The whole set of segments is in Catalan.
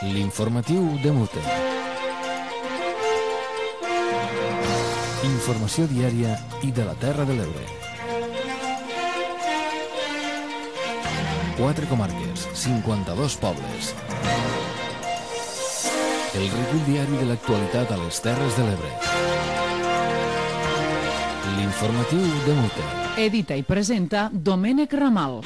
L'informatiu de Mute. Informació diària i de la Terra de l'Ebre. 4 comarques, 52 pobles. El recull diari de l'actualitat a les Terres de l'Ebre. L'informatiu de Mute. Edita i presenta Domènec Ramal.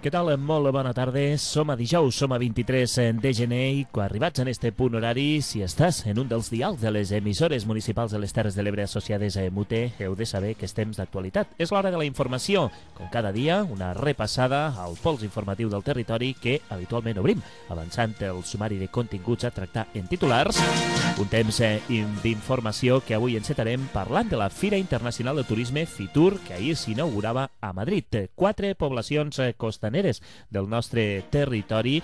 Què tal? Molt bona tarda. Som a dijous, som a 23 de gener i arribats en este punt horari, si estàs en un dels dials de les emissores municipals de les Terres de l'Ebre associades a Mute, heu de saber que és temps d'actualitat. És l'hora de la informació. Com cada dia, una repassada al pols informatiu del territori que habitualment obrim, avançant el sumari de continguts a tractar en titulars. Un temps d'informació que avui encetarem parlant de la Fira Internacional de Turisme Fitur, que ahir s'inaugurava a Madrid. 4 poblacions costaneres del nostre territori,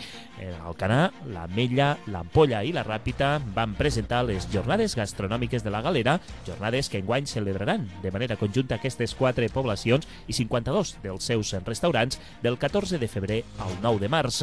Alcanar, l'Ametlla, l'Ampolla i la Ràpita, van presentar les jornades gastronòmiques de la Galera, jornades que enguany celebraran de manera conjunta aquestes 4 poblacions i 52 dels seus restaurants del 14 de febrer al 9 de març.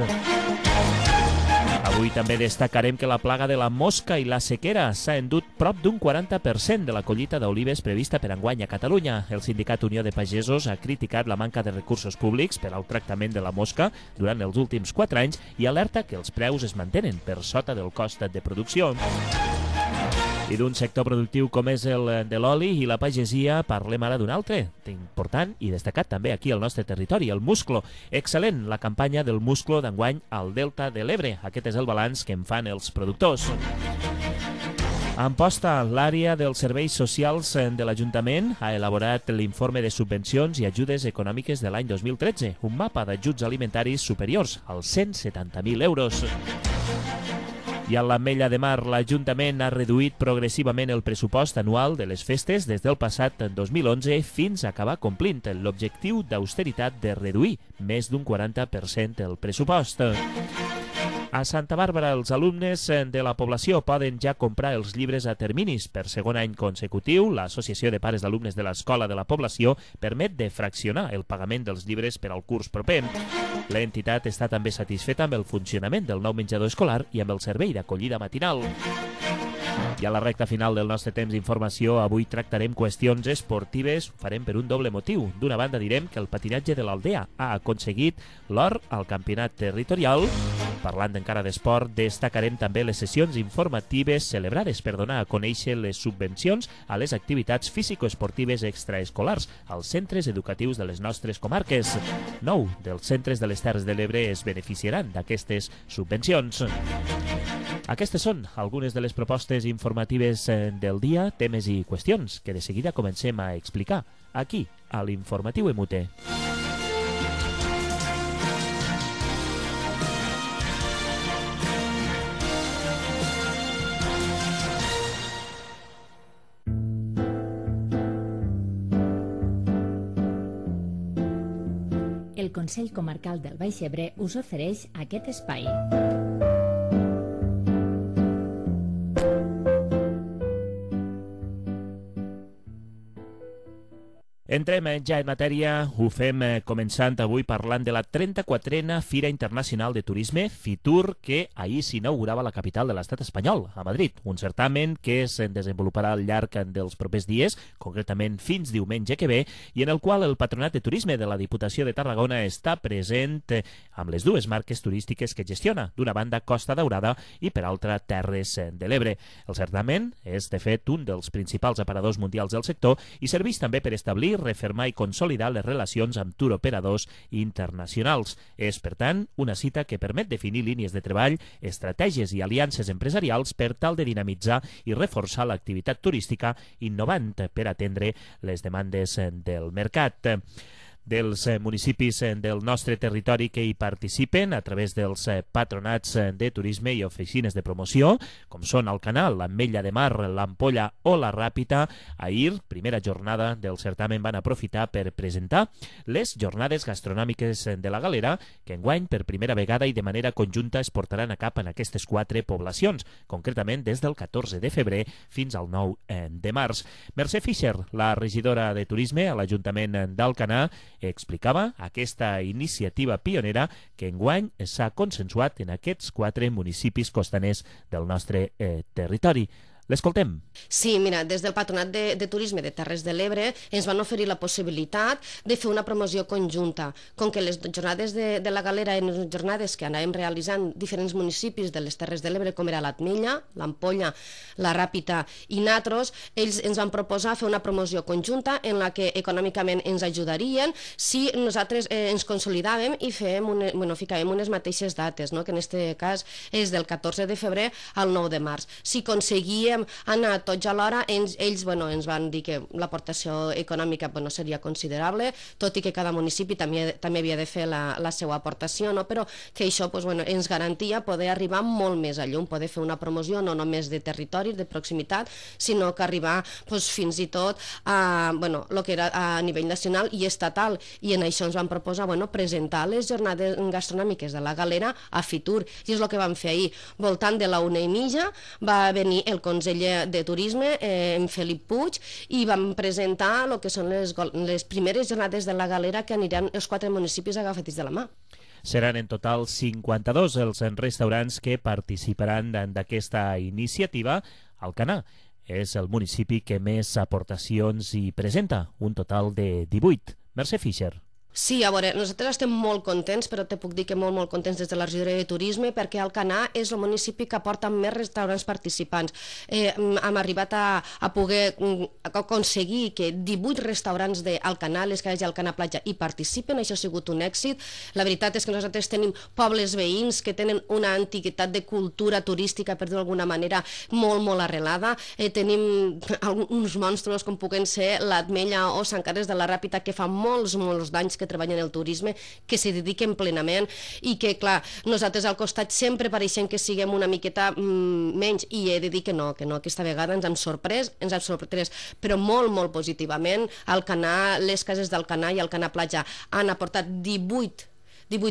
Avui també destacarem que la plaga de la mosca i la sequera s'ha endut prop d'un 40% de la collita d'olives prevista per enguany a Catalunya. El Sindicat Unió de Pagesos ha criticat la manca de recursos públics per al tractament de la mosca durant els últims 4 anys i alerta que els preus es mantenen per sota del cost de producció. I d'un sector productiu com és el de l'oli i la pagesia, parlem ara d'un altre, important i destacat també aquí al nostre territori, el musclo. Excel·lent la campanya del musclo d'enguany al Delta de l'Ebre. Aquest és el balanç que en fan els productors. A Amposta, l'àrea dels serveis socials de l'Ajuntament ha elaborat l'informe de subvencions i ajudes econòmiques de l'any 2013, un mapa d'ajuts alimentaris superiors als 170.000 euros. I a l'Ametlla de Mar, l'Ajuntament ha reduït progressivament el pressupost anual de les festes des del passat 2011 fins a acabar complint l'objectiu d'austeritat de reduir més d'un 40% el pressupost. A Santa Bàrbara, els alumnes de la població poden ja comprar els llibres a terminis. Per segon any consecutiu, l'Associació de Pares d'Alumnes de l'Escola de la Població permet de fraccionar el pagament dels llibres per al curs proper. L'entitat està també satisfeta amb el funcionament del nou menjador escolar i amb el servei d'acollida matinal. I a la recta final del nostre temps d'informació, avui tractarem qüestions esportives, ho farem per un doble motiu. D'una banda direm que el patinatge de l'Aldea ha aconseguit l'or al campionat territorial. Parlant encara d'esport, destacarem també les sessions informatives celebrades per donar a conèixer les subvencions a les activitats físico-esportives extraescolars als centres educatius de les nostres comarques. 9 dels centres de les Terres de l'Ebre es beneficiaran d'aquestes subvencions. Aquestes són algunes de les propostes informatives del dia, temes i qüestions que de seguida comencem a explicar aquí, a l'Informatiu Mute. El Consell Comarcal del Baix Ebre us ofereix aquest espai. Entrem ja en matèria, ho fem començant avui parlant de la 34a Fira Internacional de Turisme, Fitur, que ahir s'inaugurava a la capital de l'estat espanyol, a Madrid. Un certamen que es desenvoluparà al llarg dels propers dies, concretament fins diumenge que ve, i en el qual el Patronat de Turisme de la Diputació de Tarragona està present amb les dues marques turístiques que gestiona, d'una banda Costa Daurada i per altra Terres de l'Ebre. El certamen és, de fet, un dels principals aparadors mundials del sector i serveix també per establir, refermar i consolidar les relacions amb turoperadors internacionals. És, per tant, una cita que permet definir línies de treball, estratègies i aliances empresarials per tal de dinamitzar i reforçar l'activitat turística, innovant per atendre les demandes del mercat. Dels municipis del nostre territori que hi participen a través dels patronats de turisme i oficines de promoció, com són Alcanar, l'Ametlla de Mar, l'Ampolla o la Ràpita. Ahir, primera jornada del certamen, van aprofitar per presentar les jornades gastronòmiques de la Galera, que enguany per primera vegada i de manera conjunta es portaran a cap en aquestes 4 poblacions, concretament des del 14 de febrer fins al 9 de març. Mercè Fischer, la regidora de Turisme a l'Ajuntament d'Alcanar, explicava aquesta iniciativa pionera que enguany s'ha consensuat en aquests 4 municipis costaners del nostre territori. L'escoltem. Sí, mira, des del Patronat de Turisme de Terres de l'Ebre ens van oferir la possibilitat de fer una promoció conjunta. Com que les jornades de la galera eren jornades que anàvem realitzant diferents municipis de les Terres de l'Ebre, com era l'Atmella, l'Ampolla, la Ràpita i Natros, ells ens van proposar fer una promoció conjunta en la que econòmicament ens ajudarien si nosaltres ens consolidàvem i ficàvem unes mateixes dates, no? Que en aquest cas és del 14 de febrer al 9 de març. Si aconseguíem anar tots alhora, ells ens van dir que l'aportació econòmica seria considerable, tot i que cada municipi també havia de fer la seva aportació, no? Però que això ens garantia poder arribar molt més a llum, poder fer una promoció no només de territori, de proximitat, sinó que arribar fins i tot a el que era a nivell nacional i estatal, i en això ens van proposar presentar les jornades gastronòmiques de la galera a Fitur, i és el que vam fer ahir. Voltant de la 1:30 va venir el conseller de Turisme, en Felip Puig, i vam presentar el que són les primeres jornades de la galera que aniran els 4 municipis agafats de la mà. Seran en total 52 els restaurants que participaran d'aquesta iniciativa. Alcanar és el municipi que més aportacions hi presenta, un total de 18. Mercè Fischer. Sí, a veure, nosaltres estem molt contents, però te puc dir que molt contents des de la regidoria de Turisme, perquè Alcanar és el municipi que aporta més restaurants participants. Hem arribat a poder aconseguir que 18 restaurants d'Alcanar, les cases d'Alcanar Platja, hi participen, això ha sigut un èxit. La veritat és que nosaltres tenim pobles veïns que tenen una antiguitat de cultura turística, per dir-ho d'alguna manera, molt arrelada. Tenim uns monstruos com puguen ser l'Atmella o Sant Carles de la Ràpita, que fa molts d'anys que treballen en el turisme, que s'hi dediquen plenament, i que, clar, nosaltres al costat sempre pareixem que siguem una miqueta menys, i he de dir que no, aquesta vegada ens hem sorprès, però molt positivament. Alcanar, les cases d'Alcanar i Alcanar Platja han aportat 18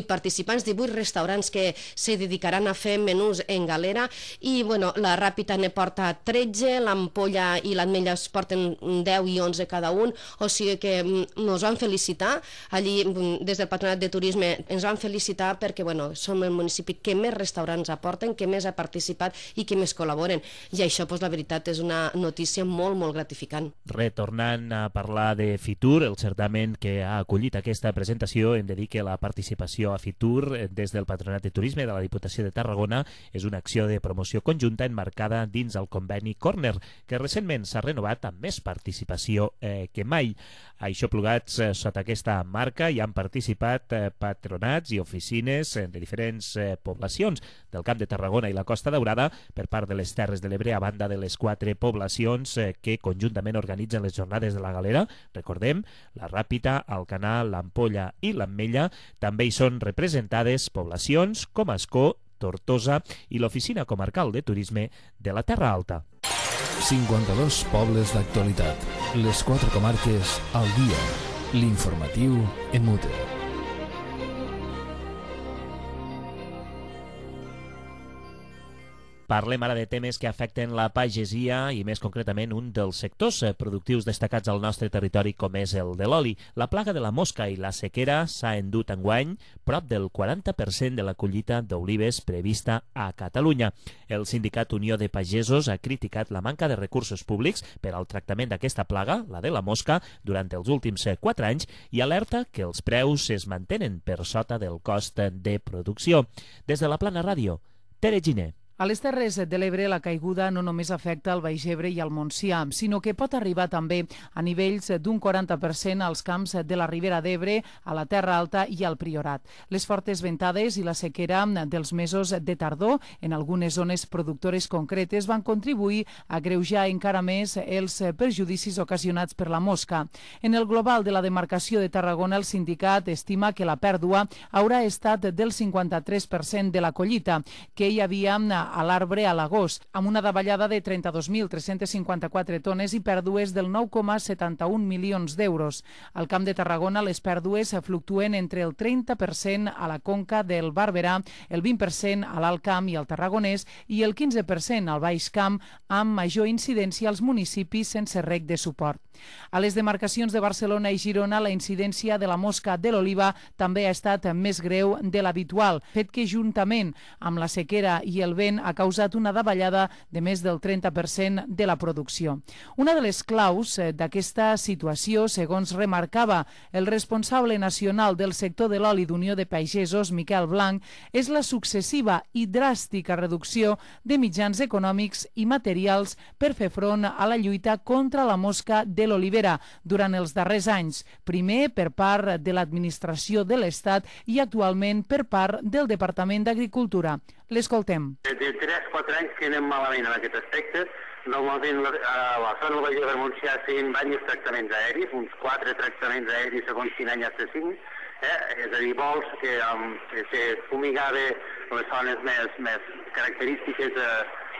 participants, 18 restaurants que se dedicaran a fer menús en galera, i la Ràpita ne porta 13, l'Ampolla i l'Atmella es porten 10 i 11 cada un, o sigui que ens van felicitar allí des del Patronat de Turisme, ens van felicitar perquè som el municipi que més restaurants aporten, que més ha participat i que més col·laboren, i això la veritat és una notícia molt gratificant. Retornant a parlar de Fitur, el certamen que ha acollit aquesta presentació, hem de dir que la participació a Fitur des del Patronat de Turisme de la Diputació de Tarragona és una acció de promoció conjunta emmarcada dins el conveni Corner, que recentment s'ha renovat amb més participació que mai. Aixoplugats sota aquesta marca hi han participat patronats i oficines de diferents poblacions del Camp de Tarragona i la Costa Daurada per part de les Terres de l'Ebre, a banda de les 4 poblacions que conjuntament organitzen les jornades de la galera. Recordem, la Ràpita, Alcanar, l'Ampolla i l'Ametlla. També hi són representades poblacions com Ascó, Tortosa i l'Oficina Comarcal de Turisme de la Terra Alta. 52 pobles d'actualitat. Les 4 comarques al dia. L'informatiu en Mute. Parlem ara de temes que afecten la pagesia i més concretament un dels sectors productius destacats al nostre territori, com és el de l'oli. La plaga de la mosca i la sequera s'ha endut enguany prop del 40% de la collita d'olives prevista a Catalunya. El sindicat Unió de Pagesos ha criticat la manca de recursos públics per al tractament d'aquesta plaga, la de la mosca, durant els últims 4 anys, i alerta que els preus es mantenen per sota del cost de producció. Des de la Plana Ràdio, Tere Giner. A les Terres de l'Ebre la caiguda no només afecta el Baix Ebre i el Montsià, sinó que pot arribar també a nivells d'un 40% als camps de la Ribera d'Ebre, a la Terra Alta i al Priorat. Les fortes ventades i la sequera dels mesos de tardor en algunes zones productores concretes van contribuir a agreujar encara més els perjudicis ocasionats per la mosca. En el global de la demarcació de Tarragona, el sindicat estima que la pèrdua haurà estat del 53% de la collita que hi havia a l'arbre a l'agost, amb una davallada de 32.354 tones i pèrdues del 9,71 milions d'euros. Al Camp de Tarragona les pèrdues fluctuen entre el 30% a la conca del Barberà, el 20% a l'Alt Camp i al Tarragonès i el 15% al Baix Camp, amb major incidència als municipis sense reg de suport. A les demarcacions de Barcelona i Girona, la incidència de la mosca de l'oliva també ha estat més greu de l'habitual, fet que juntament amb la sequera i el vent ha causat una davallada de més del 30% de la producció. Una de les claus d'aquesta situació, segons remarcava el responsable nacional del sector de l'oli d'Unió de Pagesos, Miquel Blanc, és la successiva i dràstica reducció de mitjans econòmics i materials per fer front a la lluita contra la mosca de l'olivera durant els darrers anys, primer per part de l'administració de l'Estat i actualment per part del Departament d'Agricultura. L'escoltem. De 3-4 anys que anem malament en aquest aspecte. Normalment a la zona del Baix Ebre Montsià feien diversos tractaments aèris, uns 4 tractaments aèris segons quin any hasta 5, és a dir, vols que se fumigava les zones més característiques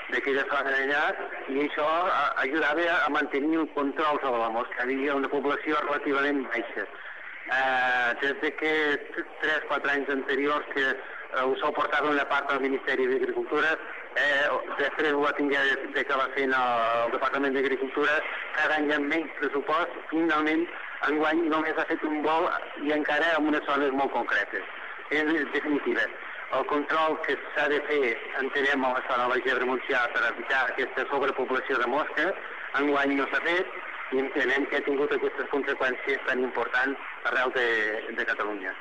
d'aquella zona d'allà, i això ajudava a mantenir el control sobre la mosca. Hi havia una població relativament baixa. Des de que 3-4 anys anteriors que ho suportava una part del Ministeri d'Agricultura, després ho va tingué d'acabar fent el Departament d'Agricultura, cada any amb menys pressupost, finalment enguany només ha fet un vol i encara en unes zones molt concretes. En definitiva, el control que s'ha de fer, entenem, a la zona del Baix Ebre Montsià per evitar aquesta sobrepoblació de mosca, enguany no s'ha fet i entenem que ha tingut aquestes conseqüències tan importants arreu de Catalunya.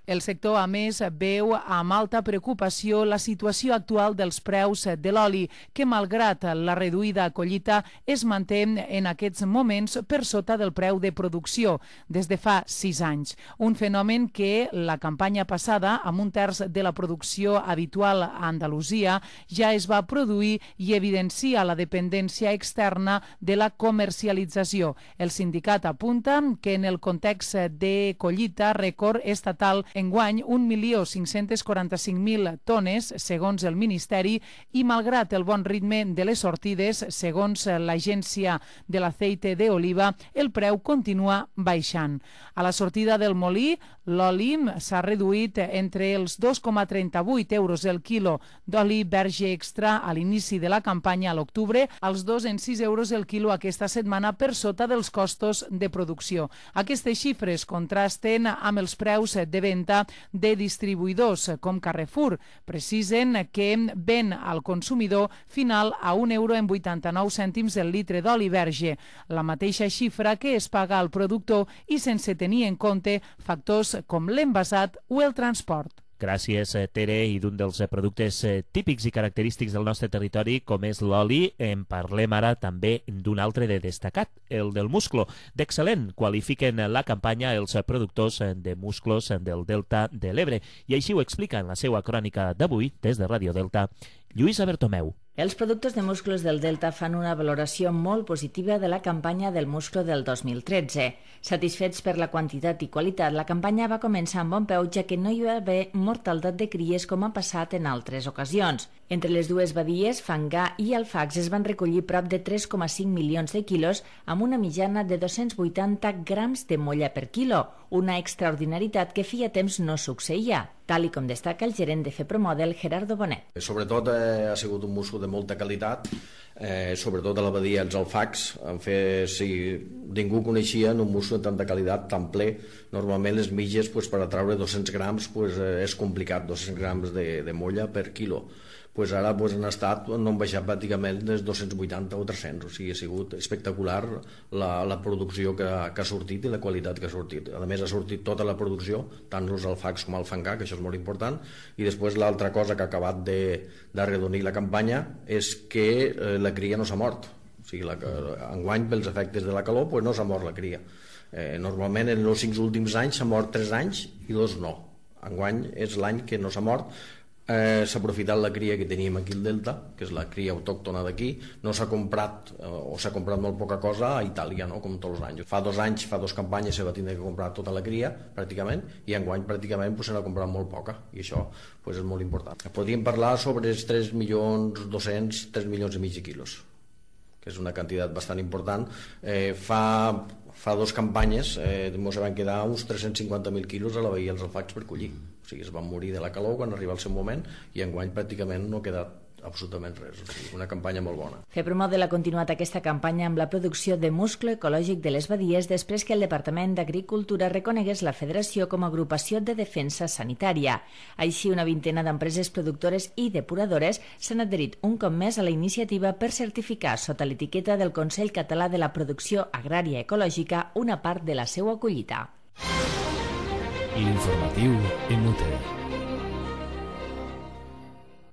El sector, a més, veu amb alta preocupació la situació actual dels preus de l'oli, que malgrat la reduïda collita es manté en aquests moments per sota del preu de producció des de fa 6 anys. Un fenomen que la campanya passada, amb 1/3 de la producció habitual a Andalusia, ja es va produir i evidencia la dependència externa de la comercialització. El sindicat apunta que en el context de collita rècord estatal enguany 1.545.000 tones, segons el Ministeri, i malgrat el bon ritme de les sortides, segons l'Agència de l'Aceite de Oliva, el preu continua baixant. A la sortida del molí, l'oli s'ha reduït entre els 2,38 euros el quilo d'oli verge extra a l'inici de la campanya a l'octubre, als 2,06 euros el quilo aquesta setmana per sota dels costos de producció. Aquestes xifres contrasten amb els preus de venda de distribuïdors com Carrefour. Precisen que ven al consumidor final a €1,89 el litre d'oli verge, la mateixa xifra que es paga al productor i sense tenir en compte factors com l'envasat o el transport. Gràcies, Tere. I d'un dels productes típics i característics del nostre territori, com és l'oli, en parlem ara també d'un altre de destacat, el del musclo. D'excel·lent qualifiquen la campanya els productors de musclos del Delta de l'Ebre. I així ho explica en la seva crònica d'avui, des de Ràdio Delta, Lluïsa Bertomeu. Els productors de musclos del Delta fan una valoració molt positiva de la campanya del musclo del 2013. Satisfets per la quantitat i qualitat, la campanya va començar amb bon peu, ja que no hi va haver mortaldat de cries com ha passat en altres ocasions. Entre les dues badies, Fangà i Alfax, es van recollir prop de 3,5 milions de quilos amb una mitjana de 280 grams de molla per quilo, una extraordinaritat que feia temps no succeïa, tal i com destaca el gerent de FEPROMODEL, Gerardo Bonet. Sobretot ha sigut un musclo de molta qualitat, sobretot a la badia els Alfax. Si ningú coneixia un musclo de tanta qualitat, tan ple, normalment les mitges per atraure 200 grams és complicat, 200 grams de molla per quilo. Ara han estat, no han baixat pràcticament des 280 o 300, o sigui, ha sigut espectacular la producció que ha sortit i la qualitat que ha sortit. A més, ha sortit tota la producció, tant els Alfax com el Fangà, que això és molt important, i després l'altra cosa que ha acabat d'arredonir la campanya és que la cria no s'ha mort. O sigui, enguany, pels efectes de la calor, no s'ha mort la cria. Normalment, en els 5 últims anys s'ha mort 3 anys i 2 no. Enguany és l'any que no s'ha mort, s'ha aprofitat la cria que teníem aquí al Delta, que és la cria autòctona d'aquí. No s'ha comprat, o s'ha comprat molt poca cosa a Itàlia, no? Com tots els anys. Fa 2 anys, fa 2 campanyes se va tindre que comprar tota la cria, pràcticament, i enguany pràcticament se n'ha comprat molt poca, i això és molt important. Podríem parlar sobre els 3.200.000, 3 milions i mig de quilos, que és una quantitat bastant important. Fa 2 campanyes ens van quedar uns 350.000 quilos a la Badia dels Alfacs per collir. O sigui, es van morir de la calor quan arriba el seu moment, i enguany pràcticament no ha quedat absolutament res. O sigui, una campanya molt bona. FEPROMODEL ha continuat aquesta campanya amb la producció de musclo ecològic de les badies després que el Departament d'Agricultura reconegués la Federació com a agrupació de defensa sanitària. Així, una vintena d'empreses productores i depuradores s'han adherit un cop més a la iniciativa per certificar sota l'etiqueta del Consell Català de la Producció Agrària Ecològica una part de la seva collita. L'informatiu en UTE.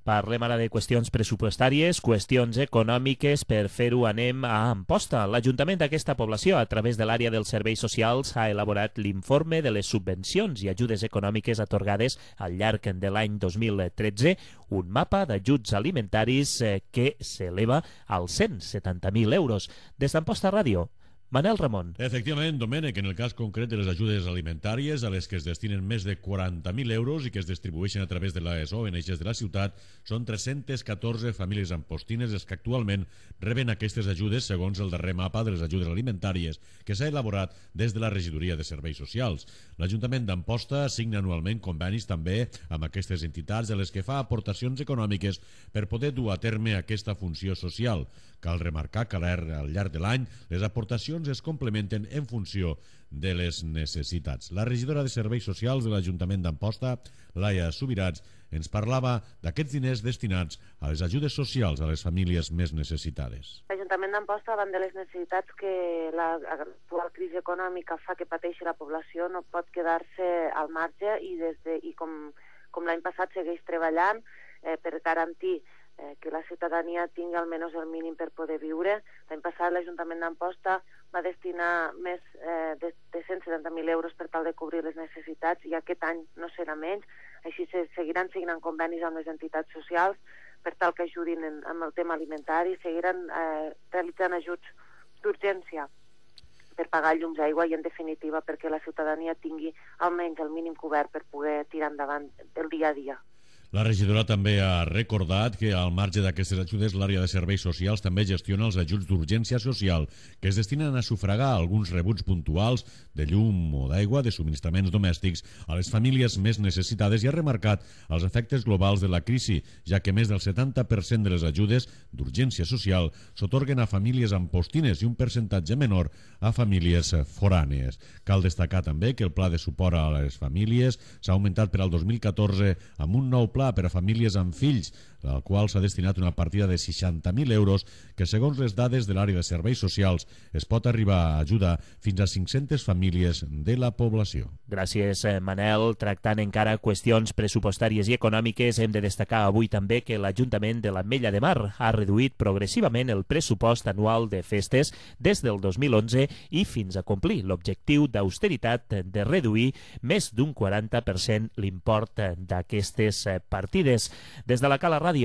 Parlem ara de qüestions pressupostàries, qüestions econòmiques. Per fer-ho anem a Amposta. L'Ajuntament d'aquesta població, a través de l'àrea dels serveis socials, ha elaborat l'informe de les subvencions i ajudes econòmiques atorgades al llarg de l'any 2013, un mapa d'ajuts alimentaris que s'eleva als 170.000 euros. Des d'Amposta Ràdio, Manel Ramon. Efectivament, Domènec, en el cas concret de les ajudes alimentàries, a les que es destinen més de 40.000 euros i que es distribueixen a través de les ONGs de la ciutat, són 314 famílies ampostines les que actualment reben aquestes ajudes segons el darrer mapa de les ajudes alimentàries que s'ha elaborat des de la Regidoria de Serveis Socials. L'Ajuntament d'Amposta signa anualment convenis també amb aquestes entitats a les que fa aportacions econòmiques per poder dur a terme aquesta funció social. Cal remarcar que al llarg de l'any les aportacions es complementen en funció de les necessitats. La regidora de Serveis Socials de l'Ajuntament d'Amposta, Laia Subirats, ens parlava d'aquests diners destinats a les ajudes socials a les famílies més necessitades. L'Ajuntament d'Amposta, davant de les necessitats que l'actual crisi econòmica fa que pateixi la població, no pot quedar-se al marge i com l'any passat segueix treballant per garantir que la ciutadania tingui almenys el mínim per poder viure. L'any passat l'Ajuntament d'Amposta va destinar més de 170.000 euros per tal de cobrir les necessitats i aquest any no serà menys. Així se seguiran signant convenis amb les entitats socials per tal que ajudin amb el tema alimentari, seguiran realitzant ajuts d'urgència per pagar llums, aigua i, en definitiva, perquè la ciutadania tingui almenys el mínim cobert per poder tirar endavant el dia a dia. La regidora també ha recordat que al marge d'aquestes ajudes l'àrea de serveis socials també gestiona els ajuts d'urgència social que es destinen a sufragar alguns rebuts puntuals de llum o d'aigua, de subministraments domèstics a les famílies més necessitades i ha remarcat els efectes globals de la crisi, ja que més del 70% de les ajudes d'urgència social s'atorguen a famílies ampostines i un percentatge menor a famílies forànees. Cal destacar també que el pla de suport a les famílies s'ha augmentat per al 2014 amb un nou pla per a famílies amb fills, al qual s'ha destinat una partida de 60.000 euros que, segons les dades de l'àrea de serveis socials, es pot arribar a ajudar fins a 500 famílies de la població. Gràcies, Manel. Tractant encara qüestions pressupostàries i econòmiques, hem de destacar avui també que l'Ajuntament de l'Ametlla de Mar ha reduït progressivament el pressupost anual de festes des del 2011 i fins a complir l'objectiu d'austeritat de reduir més d'un 40% l'import d'aquestes partides. Des de la Cala Ràdio,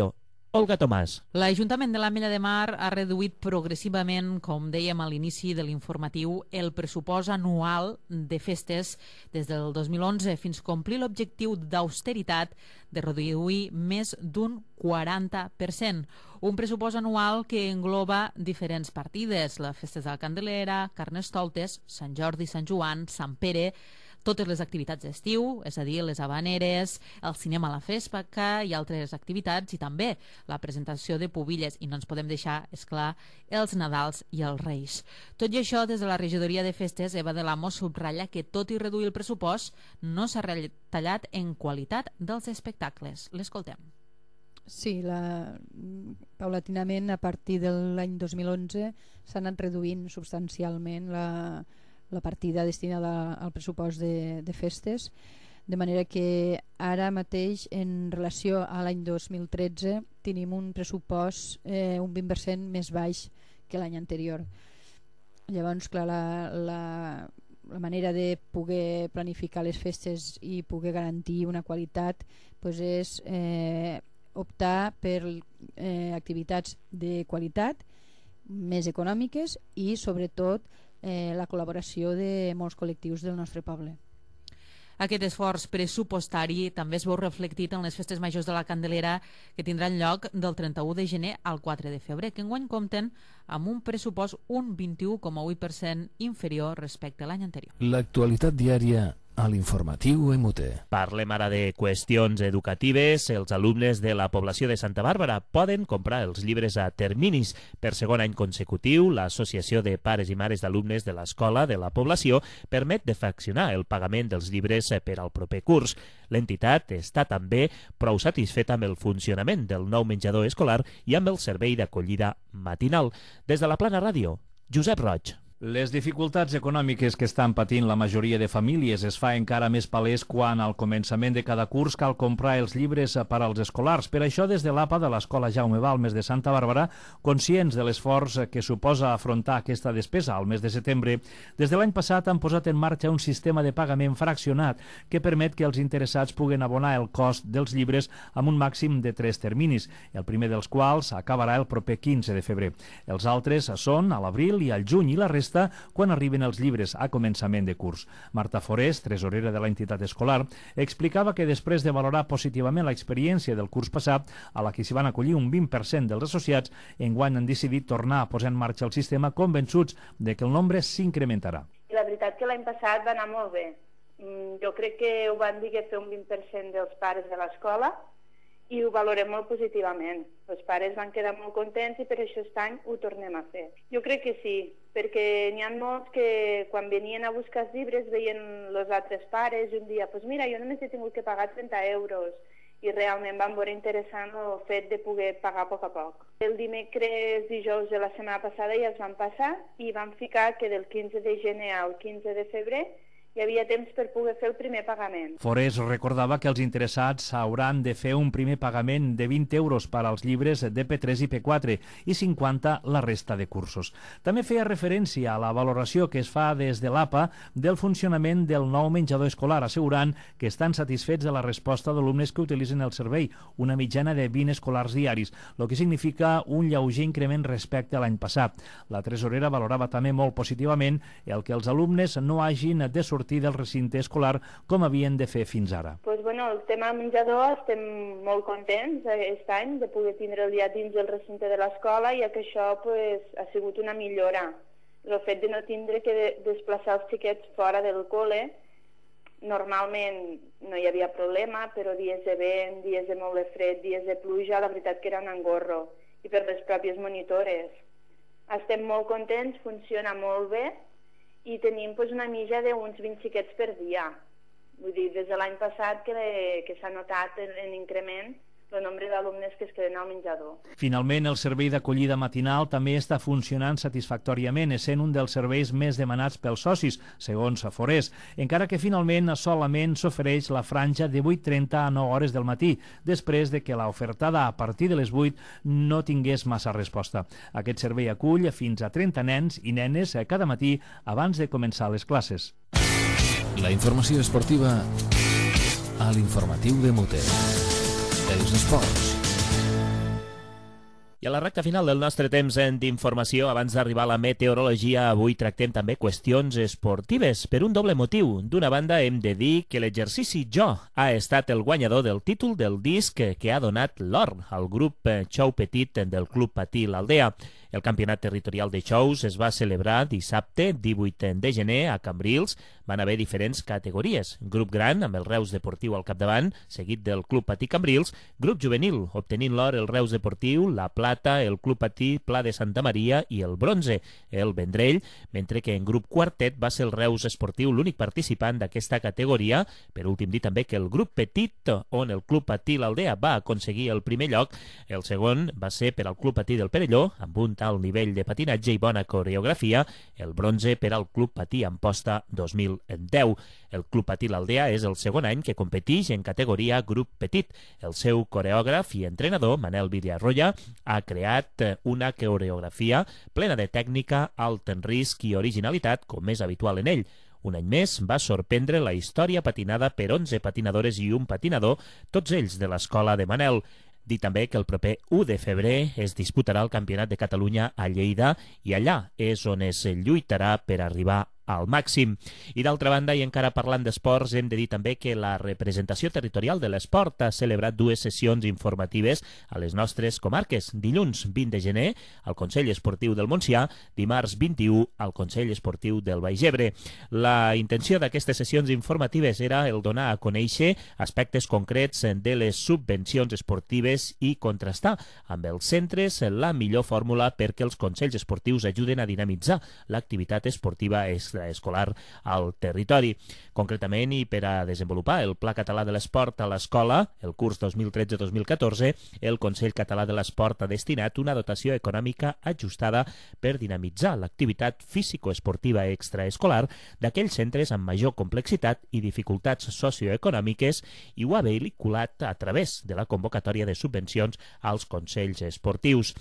Olga Tomàs. L'Ajuntament de l'Ametlla de Mar ha reduït progressivament, com dèiem a l'inici de l'informatiu, el pressupost anual de festes des del 2011 fins a complir l'objectiu d'austeritat de reduir més d'un 40%. Un pressupost anual que engloba diferents partides, les festes de la Candelera, Carnestoltes, Sant Jordi, Sant Joan, Sant Pere, totes les activitats d'estiu, és a dir, les habaneres, el cinema a la Festa i altres activitats, i també la presentació de pubilles, i no ens podem deixar, és clar, els Nadals i els Reis. Tot i això, des de la regidoria de festes, Eva de l'Amo subratlla que, tot i reduir el pressupost, no s'ha retallat en qualitat dels espectacles. L'escoltem. Sí, paulatinament, a partir de l'any 2011, s'ha anat reduint substancialment la partida destinada al pressupost de festes, de manera que ara mateix, en relació a l'any 2013, tenim un pressupost un 20% més baix que l'any anterior. Llavors, clar, la manera de poder planificar les festes i poder garantir una qualitat és optar per activitats de qualitat, més econòmiques i sobretot la col·laboració de molts col·lectius del nostre poble. Aquest esforç pressupostari també es veu reflectit en les festes majors de la Candelera que tindran lloc del 31 de gener al 4 de febrer, que enguany compten amb un pressupost un 21,8% inferior respecte a l'any anterior. L'actualitat diària a l'informatiu MUT. Parlem ara de qüestions educatives. Els alumnes de la població de Santa Bàrbara poden comprar els llibres a terminis. Per segon any consecutiu, l'Associació de Pares i Mares d'Alumnes de l'Escola de la Població permet de fraccionar el pagament dels llibres per al proper curs. L'entitat està també prou satisfeta amb el funcionament del nou menjador escolar i amb el servei d'acollida matinal. Des de la Plana Ràdio, Josep Roig. Les dificultats econòmiques que estan patint la majoria de famílies es fa encara més palès quan al començament de cada curs cal comprar els llibres per als escolars. Per això, des de l'APA de l'Escola Jaume Balmes de Santa Bàrbara, conscients de l'esforç que suposa afrontar aquesta despesa al mes de setembre, des de l'any passat han posat en marxa un sistema de pagament fraccionat que permet que els interessats puguen abonar el cost dels llibres amb un màxim de 3 terminis, el primer dels quals acabarà el proper 15 de febrer. Els altres són a l'abril i al juny i la resta quan arriben els llibres a començament de curs. Marta Forés, tresorera de l'entitat escolar, explicava que després de valorar positivament l'experiència del curs passat, a la que s'hi van acollir un 20% dels associats, enguany han decidit tornar a posar en marxa el sistema convençuts de que el nombre s'incrementarà. La veritat que l'any passat va anar molt bé. Jo crec que ho van dir que fer un 20% dels pares de l'escola i ho valorem molt positivament. Els pares van quedar molt contents i per això aquest any ho tornem a fer. Jo crec que sí, perquè n'hi ha molts que quan venien a buscar els llibres veien els altres pares i un dia, doncs mira, jo només he tingut que pagar 30 euros i realment van veure interessant el fet de poder pagar a poc a poc. El dimecres, dijous de la setmana passada ja es van passar i van ficar que del 15 de gener al 15 de febrer hi havia temps per poder fer el primer pagament. Forés recordava que els interessats hauran de fer un primer pagament de 20 euros per als llibres de P3 i P4 i 50 la resta de cursos. També feia referència a la valoració que es fa des de l'APA del funcionament del nou menjador escolar, assegurant que estan satisfets de la resposta d'alumnes que utilitzen el servei, una mitjana de 20 escolars diaris, el que significa un lleuger increment respecte a l'any passat. La tresorera valorava també molt positivament el que els alumnes no hagin de sortir del recinte escolar com havien de fer fins ara. El tema menjador estem molt contents aquest any de poder tindre'l ja dins del recinte de l'escola, ja que això ha sigut una millora. El fet de no tindre que desplaçar els xiquets fora del col·le, normalment no hi havia problema, però dies de vent, dies de molt de fred, dies de pluja, la veritat que era un engorro. I per les pròpies monitores. Estem molt contents, funciona molt bé, i tenim una mitja d'uns 20 xiquets per dia. Vull dir, des de l'any passat que s'ha notat l'increment el nombre d'alumnes que es queden al menjador. Finalment, el servei d'acollida matinal també està funcionant satisfactòriament, essent un dels serveis més demanats pels socis, segons Forés, encara que finalment solament s'ofereix la franja de 8:30 a 9 hores del matí, després de que l'ofertada a partir de les 8 no tingués massa resposta. Aquest servei acull fins a 30 nens i nenes cada matí abans de començar les classes. La informació esportiva a l'informatiu de MUT. Els esports. I a la recta final del nostre temps d'informació, abans d'arribar a la meteorologia, avui tractem també qüestions esportives, per un doble motiu. D'una banda, hem de dir que l'exercici Jo ha estat el guanyador del títol del disc que ha donat l'or al grup Xou Petit del Club Patí l'Aldea. El campionat territorial de xous es va celebrar dissabte 18 de gener a Cambrils. Van haver diferents categories. Grup gran, amb el Reus Deportiu al capdavant, seguit del Club Patí Cambrils. Grup juvenil, obtenint l'or el Reus Deportiu, la plata, el Club Patí Pla de Santa Maria i el bronze, el Vendrell, mentre que en grup quartet va ser el Reus Esportiu l'únic participant d'aquesta categoria. Per últim, dir també que el grup petit, on el Club Patí l'Aldea va aconseguir el primer lloc, el segon va ser per al Club Patí del Perelló, amb un alt nivell de patinatge i bona coreografia, el bronze per al Club Patí Amposta 2010. El Club Patí l'Aldea és el segon any que competeix en categoria grup petit. El seu coreògraf i entrenador, Manel Villarroya, ha creat una coreografia plena de tècnica, alt en risc i originalitat, com és habitual en ell. Un any més va sorprendre la història patinada per 11 patinadores i un patinador, tots ells de l'escola de Manel. Dir també que el proper 1 de febrer es disputarà el Campionat de Catalunya a Lleida i allà és on es lluitarà per arribar al màxim. I d'altra banda, i encara parlant d'esports, hem de dir també que la representació territorial de l'esport ha celebrat 2 sessions informatives a les nostres comarques. Dilluns 20 de gener al Consell Esportiu del Montsià, dimarts 21 al Consell Esportiu del Baix Ebre. La intenció d'aquestes sessions informatives era el donar a conèixer aspectes concrets de les subvencions esportives i contrastar amb els centres la millor fórmula perquè els consells esportius ajuden a dinamitzar l'activitat esportiva extraescolar al territori. Concretament, i per a desenvolupar el Pla Català de l'Esport a l'escola, el curs 2013-2014, el Consell Català de l'Esport ha destinat una dotació econòmica ajustada per dinamitzar l'activitat físico-esportiva extraescolar d'aquells centres amb major complexitat i dificultats socioeconòmiques i ho ha vehiculat a través de la convocatòria de subvencions als consells esportius.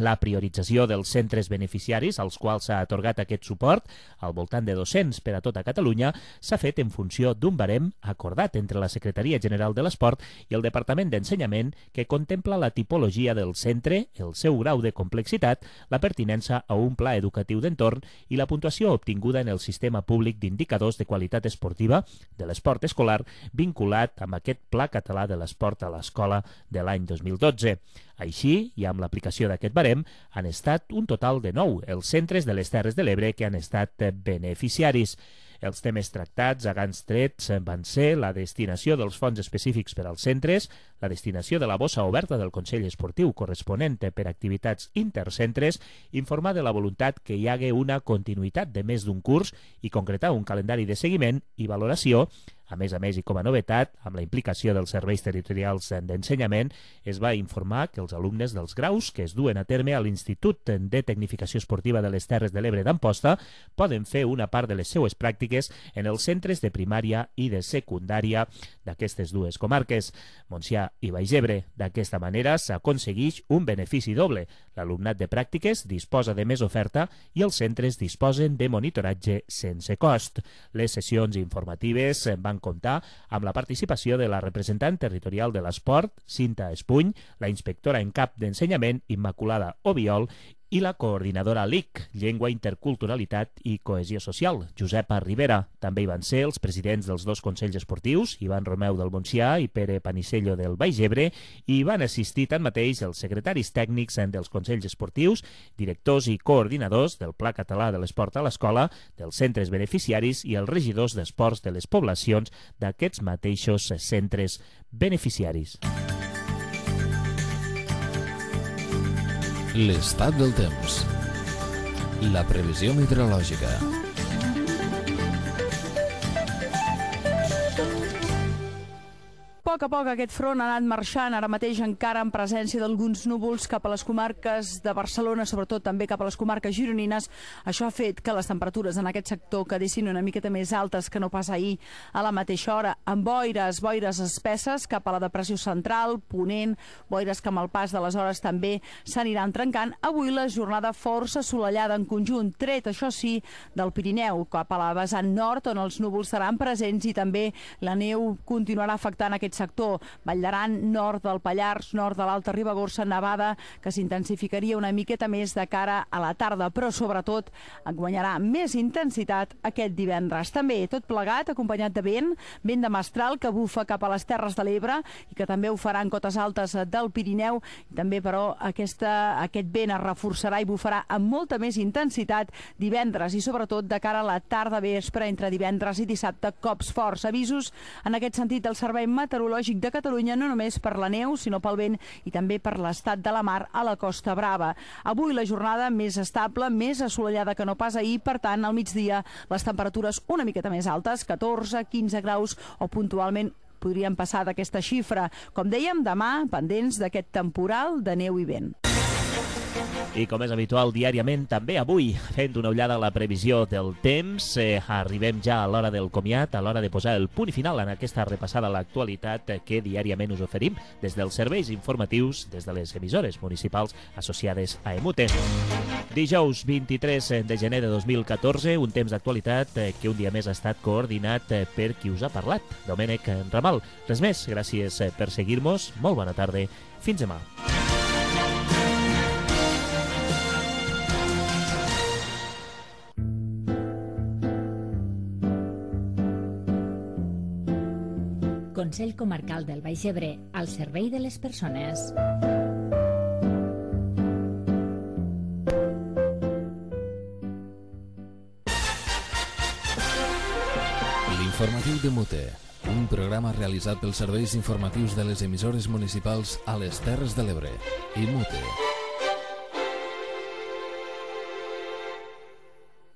La priorització dels centres beneficiaris als quals s'ha atorgat aquest suport, al voltant de 200 per a tota Catalunya, s'ha fet en funció d'un barem acordat entre la Secretaria General de l'Esport i el Departament d'Ensenyament que contempla la tipologia del centre, el seu grau de complexitat, la pertinença a un pla educatiu d'entorn i la puntuació obtinguda en el sistema públic d'indicadors de qualitat esportiva de l'esport escolar vinculat amb aquest Pla Català de l'Esport a l'escola de l'any 2012. Així, i amb l'aplicació d'aquest barem, han estat un total de 9 els centres de les Terres de l'Ebre que han estat beneficiaris. Els temes tractats a grans trets van ser la destinació dels fons específics per als centres, la destinació de la bossa oberta del Consell Esportiu corresponent per activitats intercentres, informar de la voluntat que hi hagi una continuïtat de més d'un curs i concretar un calendari de seguiment i valoració. A més, i com a novetat, amb la implicació dels serveis territorials d'ensenyament, es va informar que els alumnes dels graus que es duen a terme a l'Institut de Tecnificació Esportiva de les Terres de l'Ebre d'Amposta poden fer una part de les seues pràctiques en els centres de primària i de secundària d'aquestes dues comarques, Montsià i Baix Ebre. D'aquesta manera s'aconsegueix un benefici doble. L'alumnat de pràctiques disposa de més oferta i els centres disposen de monitoratge sense cost. Les sessions informatives van comptar amb la participació de la representant territorial de l'esport, Cinta Espuny, la inspectora en cap d'ensenyament, Immaculada Obiol, i la coordinadora LIC, Llengua, Interculturalitat i Cohesió Social, Josepa Rivera. També hi van ser els presidents dels 2 consells esportius, Ivan Romeu del Montsià i Pere Panisello del Baix Ebre, i hi van assistir tanmateix els secretaris tècnics dels consells esportius, directors i coordinadors del Pla Català de l'Esport a l'escola, dels centres beneficiaris i els regidors d'esports de les poblacions d'aquests mateixos centres beneficiaris. L'estat del temps. La previsió meteorològica. A poc a poc aquest front ha anat marxant, ara mateix encara en presència d'alguns núvols cap a les comarques de Barcelona, sobretot també cap a les comarques gironines. Això ha fet que les temperatures en aquest sector quedessin una miqueta més altes que no pas ahir a la mateixa hora, amb boires espesses cap a la depressió central, ponent, boires que amb el pas de les hores també s'aniran trencant. Avui la jornada força assolellada en conjunt, tret, això sí, del Pirineu, cap a la vessant nord, on els núvols seran presents i també la neu continuarà afectant aquest sector. Vall d'Aran, nord del Pallars, nord de l'Alta Ribagorça, nevada que s'intensificaria una miqueta més de cara a la tarda, però sobretot guanyarà més intensitat aquest divendres. També tot plegat acompanyat de vent de mestral que bufa cap a les Terres de l'Ebre i que també ho farà en cotes altes del Pirineu. També, però, aquest vent es reforçarà i bufarà amb molta més intensitat divendres i sobretot de cara a la tarda vespre entre divendres i dissabte, cops forts. Avisos en aquest sentit del Servei Meteorològic de Catalunya, no només per la neu, sinó pel vent i també per l'estat de la mar a la Costa Brava. Avui la jornada més estable, més assolellada que no pas ahir, per tant, al migdia les temperatures una miqueta més altes, 14, 15 graus o puntualment podrien passar d'aquesta xifra. Com dèiem, demà pendents d'aquest temporal de neu i vent. I com és habitual diàriament, també avui, fent una ullada a la previsió del temps, arribem ja a l'hora del comiat, a l'hora de posar el punt final en aquesta repassada a l'actualitat que diàriament us oferim des dels serveis informatius, des de les emissores municipals associades a EMUTE. Dijous 23 de gener de 2014, un temps d'actualitat que un dia més ha estat coordinat per qui us ha parlat, Domènec Ramal. Res més, gràcies per seguir-nos, molt bona tarda, fins demà. Consell Comarcal del Baix Ebre, al servei de les persones. L'informatiu de Mute, un programa realitzat pels serveis informatius de les emissores municipals a les Terres de l'Ebre i Mute.